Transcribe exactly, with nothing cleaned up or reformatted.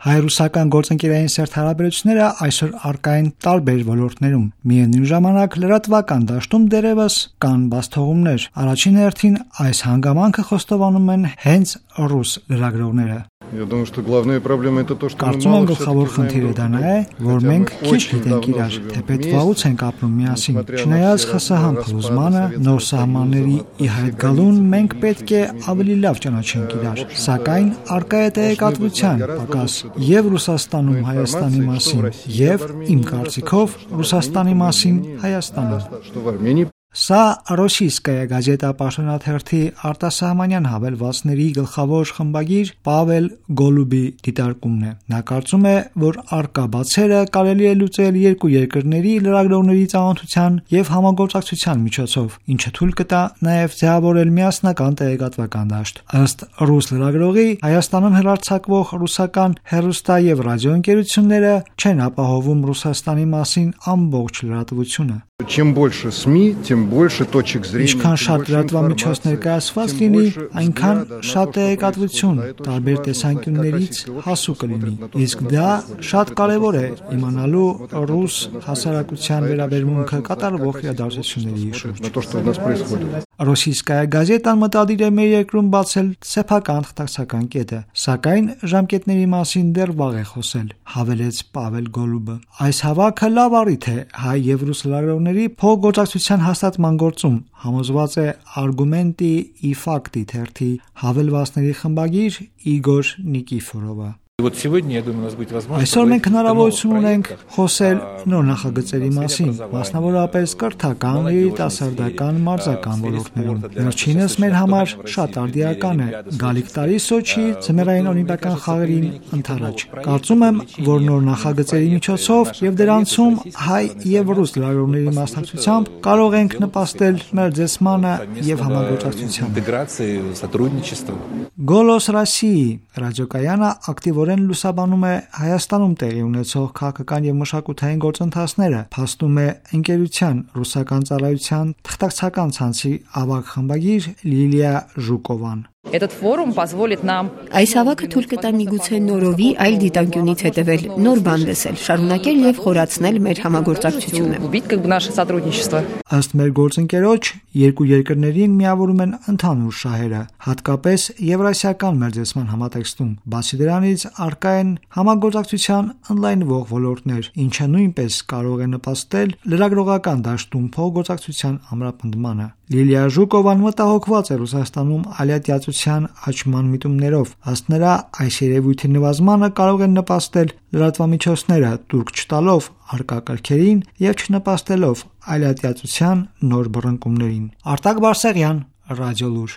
Հայ-ռուսական գործընկերային սերտ հարաբերությունները այսօր առկա են տարբեր ոլորտներում։ Միևնույն ժամանակ լրատվական դաշտում դեռևս կան բացթողումներ։ Առաջին հերթին այս հանգամանքը խոստովանում են հենց ռուս լրագրողները։ Я думаю, что главная проблема это то, что Կարծում եմ գլխավոր խնդիրը դա նա է, որ մենք քիչ գիտենք իրար, թեպետ վաղուց ենք ապրում միասին։ Չնայած ԽՍՀՄ փլուզմանը, նոր սահմանների ի հայտ գալուն մենք պետք է ավելի լավ ճանաչենք իրար, սակայն առկա է տեղեկատվության պակաս եւ Ռուսաստանում Հայաստանի մասին, եւ իմ կարծիքով Ռուսաստանի մասին Հայաստանում։ Սա Ռոսիյսկայա գազետա պաշտոնաթերթի արտասահմանյան հավելվածների գլխավոր խմբագիր Պավել Գոլուբի դիտարկումն է։ Նա կարծում է, որ առկա բացերը կարելի է լուծել երկու երկրների լրագրողների ծանոթության եւ համագործակցության միջոցով, ինչը թույլ կտա նաեւ ձևավորել միասնական տեղեկատվական դաշտ։ Ըստ ռուս լրագրողի, Հայաստանում հեռարձակվող ռուսական հեռուստա եւ ռադիոընկերությունները չեն ապահովում Ռուսաստանի մասին ամբողջ լրատվությունը։ Чем больше СМИ, тем больше точек зрения. Ինչքան շատ լրատվամիջոց ներկայացված լինի, այնքան շատ տեղեկատվություն տարբեր տեսանկյուններից հասու կլինի։ Իսկ դա շատ կարևոր է իմանալու ռուս հասարակության վերաբերմունքը կատարվող իրադարձությունների շուրջ։ Ռոսիյսկայա գազետան մտադիր է մեր երկրում բացել սեփական թղթակցական կետը, սակայն ժամկետների մասին դեռ վաղ է խոսել, հավելեց Պավել Գոլուբը։ Այս հավաքը լավ առիթ է հայ եւ ռուս լրագրողների փոխգործակցության հաստատման գործում, համոզված է Արգումենտի ի ֆակտի թերթի հավելվածների խմբագիր Իգոր Նիկիֆորովը։ Այսօր մենք հնարավորություն ունենք խոսել նոր նախագծերի մասին, մասնավորապես կրթական, երիտասարդական, մարզական ոլորտներում։ Վերջինս մեր համար շատ արդիական է։ Գալիք տարի Սոչի ձմեռային օլիմպիական խաղերին ընդառաջ։ Կարծում եմ, որ նոր նախագծերի միջոցով եւ դրանցում հայ եւ ռուս լրագրողների մասնակցությամբ կարող ենք նպաստել մերձեցմանը եւ համագործակցությանը։ Գոլոս Ռոսիի ռադիոկայանը ակտիվորեն լուսաբանում է Հայաստանում տեղի ունեցող քաղաքական եւ մշակութային գործընթացները, փաստում է ընկերության ռուսական ծառայության թղթակցական ցանցի ավագ խմբագիր Լիլիա Ժուկովան։ Этот форум позволит нам Այս հավաքը թույլ կտա միգուցե նորովի այլ դիտանկյունից հետևել, նոր բան լսել, շարունակել եւ խորացնել մեր համագործակցությունը։ убить как бы наше сотрудничество. Ըստ մեր գործընկերոջ, երկու երկրներին միավորում են ընդհանուր շահերը, հատկապես Եվրասիական մերձեցման համատեքստում։ Բացի դրանից առկա են համագործակցության ընդլայնվող ոլորտներ, ինչը նույնպես կարող է նպաստել լրագրողական դաշտում փոխգործակցության ամրապնդմանը։ Լիլիա Ժուկովան մտահոգված է Ռուսաստանում ալիատիացության աճման միտումներով։ Ըստ նրա, այս երևույթի նվազմանը կարող են նպաստել լրատվամիջոցները տուրք չտալով առկա կարգերին եւ չնպաստելով ալիատիացության նոր բռնկումներին։ Արտակ Բարսեղյան, Ռադիոլուր։